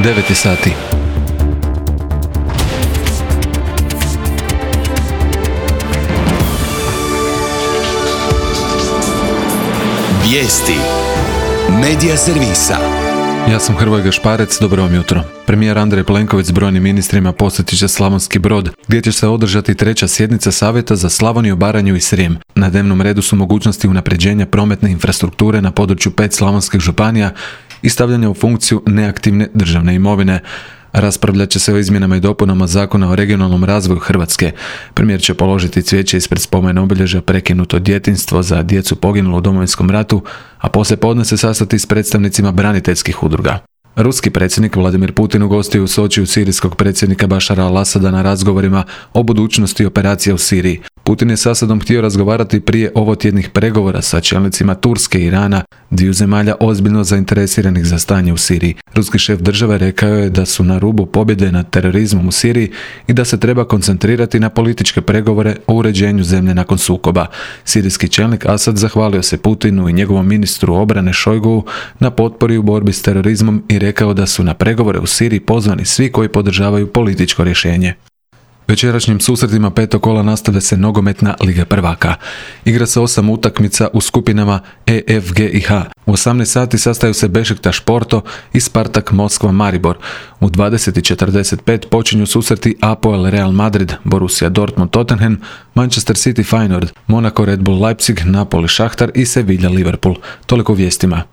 9 sati. Vijesti Medija servisa. Ja sam Hrvoje Gašparec, dobro vam jutro. Premijer Andrej Plenković s brojnim ministrima posjetit će Slavonski Brod, gdje će se održati 3. sjednica Savjeta za Slavoniju, Baranju i Srijem. Na dnevnom redu su mogućnosti unapređenja prometne infrastrukture na području 5 slavonskih županija i stavljanja u funkciju neaktivne državne imovine. Raspravljat će se o izmjenama i dopunama Zakona o regionalnom razvoju Hrvatske. Premijer će položiti cvijeće ispred spomen obilježja Prekinuto djetinjstvo za djecu poginulu u Domovinskom ratu, a poslijepodne se sastati s predstavnicima braniteljskih udruga. Ruski predsjednik Vladimir Putin ugostio u Sočiju sirijskog predsjednika Bašara al-Asada na razgovorima o budućnosti operacije u Siriji. Putin je s Asadom htio razgovarati prije ovotjednih pregovora sa čelnicima Turske i Irana, dviju zemalja ozbiljno zainteresiranih za stanje u Siriji. Ruski šef države rekao je da su na rubu pobjede nad terorizmom u Siriji i da se treba koncentrirati na političke pregovore o uređenju zemlje nakon sukoba. Sirijski čelnik Asad zahvalio se Putinu i njegovom ministru obrane Šojguu na potpori u borbi s terorizmom i rekao da su na pregovore u Siriji pozvani svi koji podržavaju političko rješenje. Večerašnjim susretima petog kola nastavlja se nogometna Liga prvaka. Igra se 8 utakmica u skupinama E, F, G i H. U 18 sati sastaju se Bešiktaš Porto i Spartak Moskva Maribor. U 20:45 počinju susreti Apoel Real Madrid, Borussia Dortmund Tottenham, Manchester City Feyenoord, Monaco Red Bull Leipzig, Napoli Šahtar i Sevilla Liverpool. Toliko vijestima.